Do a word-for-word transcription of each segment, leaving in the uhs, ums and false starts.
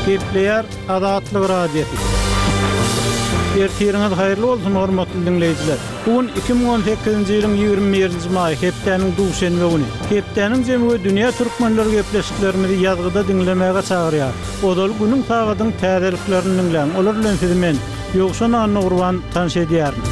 Gepleýär Azatlyk Radiosy. Ertiriňiz haýyrly bolsun, hormatly diňleýjiler. Bu gün iki müň on sekizinji ýylyň ýigrimi birinji maýy, hepdäniň duşenbe güni. Hepdäniň jemi we dünýä türkmenleri gepleşiklerimizi ýazgyda diňlemäge çagyrýar. Ozal günüň sagadyň täzeliklerini diňläň. Olar bilen sizi men, Ýowşan Annagurban tanyş edýärin.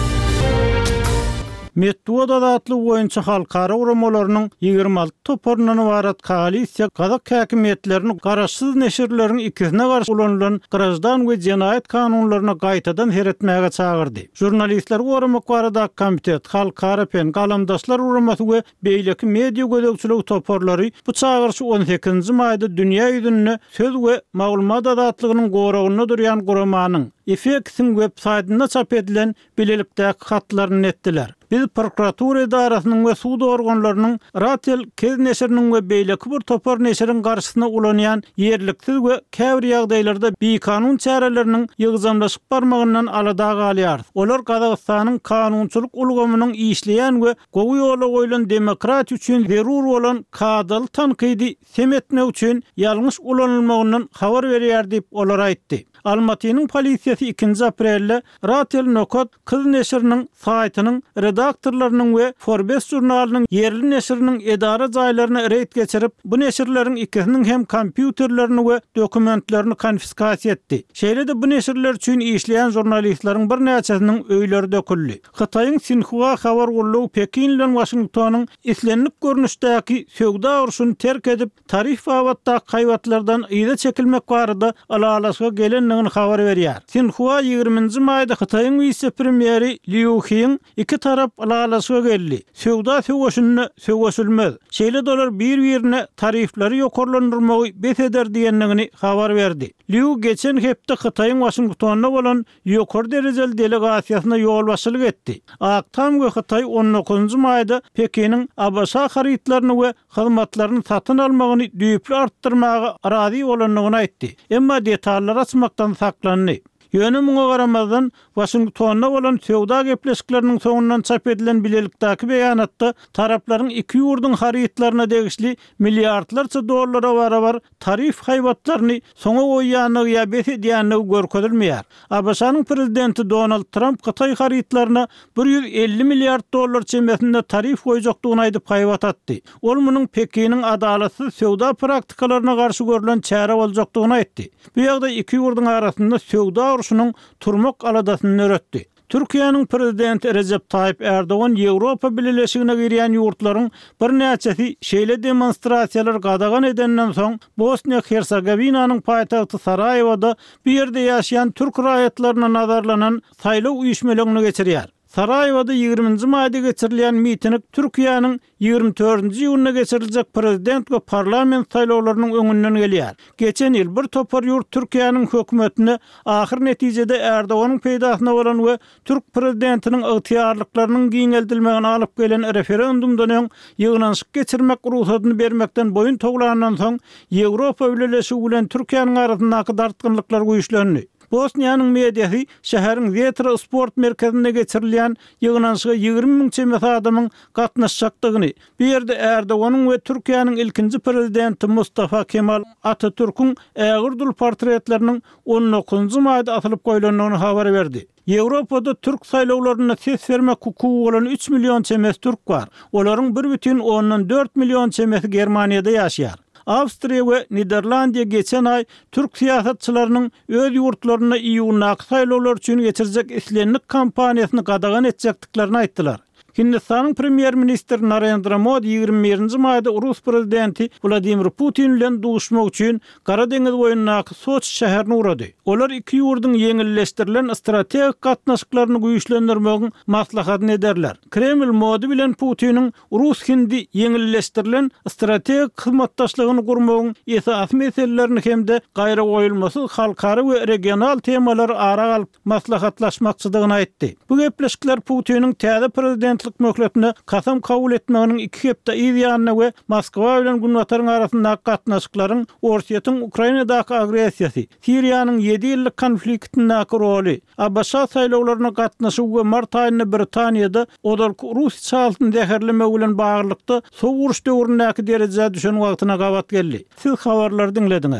Metbugat azatlygy boýunça halkara guramalarynyň ýigrimi alty toparyndan ybarat koalisiýa gazak häkimiýetlerini garaşsyz neşirleriň ikisine garşy ulanylan graždan we jenaýat kanunlaryna gaýtadan seretmäge çagyrdy. Žurnalistleri goramak baradaky komitet, Halkara PEN, Galamdaşlar guramasy we beýleki media gözegçiligi toparlary bu çagyryşy on sekizinji maýda dünýä ýüzünde söz we maglumat azatlygynyň goragynda durýan guramanyň IFEX-iň web saýtynda çap edilen bilelikdäki hatlaryny etdiler. Biz prokuratura edarasynyň we sud organlarynyň Ratel Kez neşiriniň we beýleki bir topar neşiriň garşysyna ulanýan ýerliksiz we käbir ýagdaýlarda bikanun çäreleriniň ýygjamlaşyp barmagyndan alada galýar. Olar Gazagystanyň kanunçylyk ulgamynyň işleýän we gowy ýola goýlan demokratiýa üçin zerur bolan kadaly tankydy sem etmek üçin ýalňyş ulanylmagyndan habar berýär diýip olar aýtdy. Almatynyň polisiýasy ikinji aprelde Ratel Nokat Kız neşiriniň saýtynyň redaktorlarynyň we Forbes žurnalynyň ýerli neşiriniň edara jaýlaryna reýd geçirip, bu neşirleriň ikisiniň hem kompýuterlerini we dokumentlerini konfiskasiýa etdi. Şeýle-de bu neşirler üçin işleýän žurnalistleriň birnäçesiniň öýleri döküldi. Hytaýyň Sinhua habar gullugy Pekin bilen Waşingtonyň islendik görnüşdäki söwda urşuny terk edip, tarif babatdaky haýbatlardan yza çekilmek barada ylalaşyga gelendigini habar berýär. Sinhua ýigriminji maýda Hytaýyň wise-premýeri Liu Heň iki tarap ylalaşyga geldi. Söwda söweşinde söweşilmez. Şeýle dolar bir-birine tarifleri ýokarlandyrmagy bes eder diýendigini habar berdi. Liu geçen hepde Hytaýyň Waşingtonda bolan ýokary derejeli delegasiýasyna ýolbaşçylyk etdi. Ak Tam we Hytaý on dokuzynjy maýda Pekiniň ABŞ harytlaryny we hyzmatlaryny satyn almagyny düýpli artdyrmaga razy bolandygyny aýtdy. Emma detallar açmakdan saklandy. Ýöne muňa garamazdan Waşingtonda bolan söwda gepleşikleriniň soňundan çap edilen bilelikdäki beýanatda taraplaryň iki ýurduň harytlaryna degişli milliardlarça dollara barabar tarif haýbatlaryny soňa goýýandygy ýa bes edýändigi görkezilmeýär. ABŞ-nyň prezidenti Donald Trump Hytaý harytlaryna bir ýüz elli milliard dollar çemesinde tarif goýjakdygyny aýdyp haýbat atdy. Ol munuň Pekiniň adalatsyz söwda praktikalaryna garşy görülen çäre boljakdygyny aýtdy. Bu ýagdaý iki ýurduň arasynda söwda urşunyň turmak aladasyny döretdi. Türkiýäniň prezidenti Rejep Taýyp Erdogan Ýewropa Bileleşigine girýän ýurtlaryň birnäçesi şeýle demonstrasiýalar gadagan edenden soň Bosniýa Hersegowinanyň paýtagty Saraýewada bu ýerde ýaşaýan türk raýatlaryna nazarlanan saýlaw üýşmeleňini geçirýär. Saraýewada ýigriminji maýda geçirilýän miting Türkiýäniň ýigrimi dördünji iýunda geçiriljek prezident we parlament saýlawlarynyň öňünden gelýär. Geçen ýyl bir topar ýurt Türkiýäniň hökümetine ahyr netijede Erdoganyň peýdasyna bolan we türk prezidentiniň ygtyýarlyklarynyň giňeldilmegini alyp gelen referendumdan öň ýygnanyşyk geçirmek ruhsatyny bermekden boýun towlandan soň Ýewropa Bileleşigi bilen Türkiýäniň arasyndaky dartgynlyklar güýçlendi. Bosniýanyň mediasy şäheriň Zetra sport merkezinde geçirilýän ýygnanyşyga ýigrimi müň çemesi adamyň gatnaşjakdygyny, bu ýerde Erdoganyň we Türkiýäniň ilkinji prezidenti Mustafa Kemal Atatürküň ägir dul portretleriniň on dokuzynjy maýda asylyp goýlandygyny habar berdi. Ýewropada türk saýlawlarynda ses bermek hukugy bolan üç million çemesi türk bar. Olaryň bir bütin ondan dört million çemesi Germaniýada ýaşaýar. Awstriýa we Niderlandiýa geçen aý türk syýasatçylarynyň öz ýurtlarynda iýundaky saýlawlar üçin geçirjek islendik kampaniýasyny gadagan etjekdiklerini aýtdylar. Hindistanyň premýer-ministri Narendra Modi ýigrimi birinji maýda Rus prezidenti Wladimir Putin bilen duşmak üçin Gara deňiz boýundaky Soçi şäherine ugrady. Olar iki ýurduň ýeňilleşdirilen strategik gatnaşyklaryny güýçlendirmegiň maslahatyny ederler. Kreml Modi bilen Putiniň Rus-Hindi ýeňilleşdirilen strategik hyzmatdaşlygyny gurmagyň esasy meselelerini hem-de gaýragoýulmasyz halkara we regional temalary ara alyp maslahatlaşmakçydygyny aýtdy. Bu gepleşikler Putiniň täze prezidentlik möhletine kasam kabul etmeginiň iki hepde yz ýanyna we Moskwa bilen Günbataryň arasyndaky gatnaşyklaryň Orsýetiň Ukrainadaky agressiýasy, Siriýanyň ýedi ýyllyk konfliktindäki roly, ABŞ saýlawlaryna gatnaşygy we mart aýynda Britaniýada ozalky rus içalysyny zäherlemegi bilen baglylykda sowuk uruş döwründäki derejä düşen wagtyna gabat geldi. Siz habarlary diňlediňiz.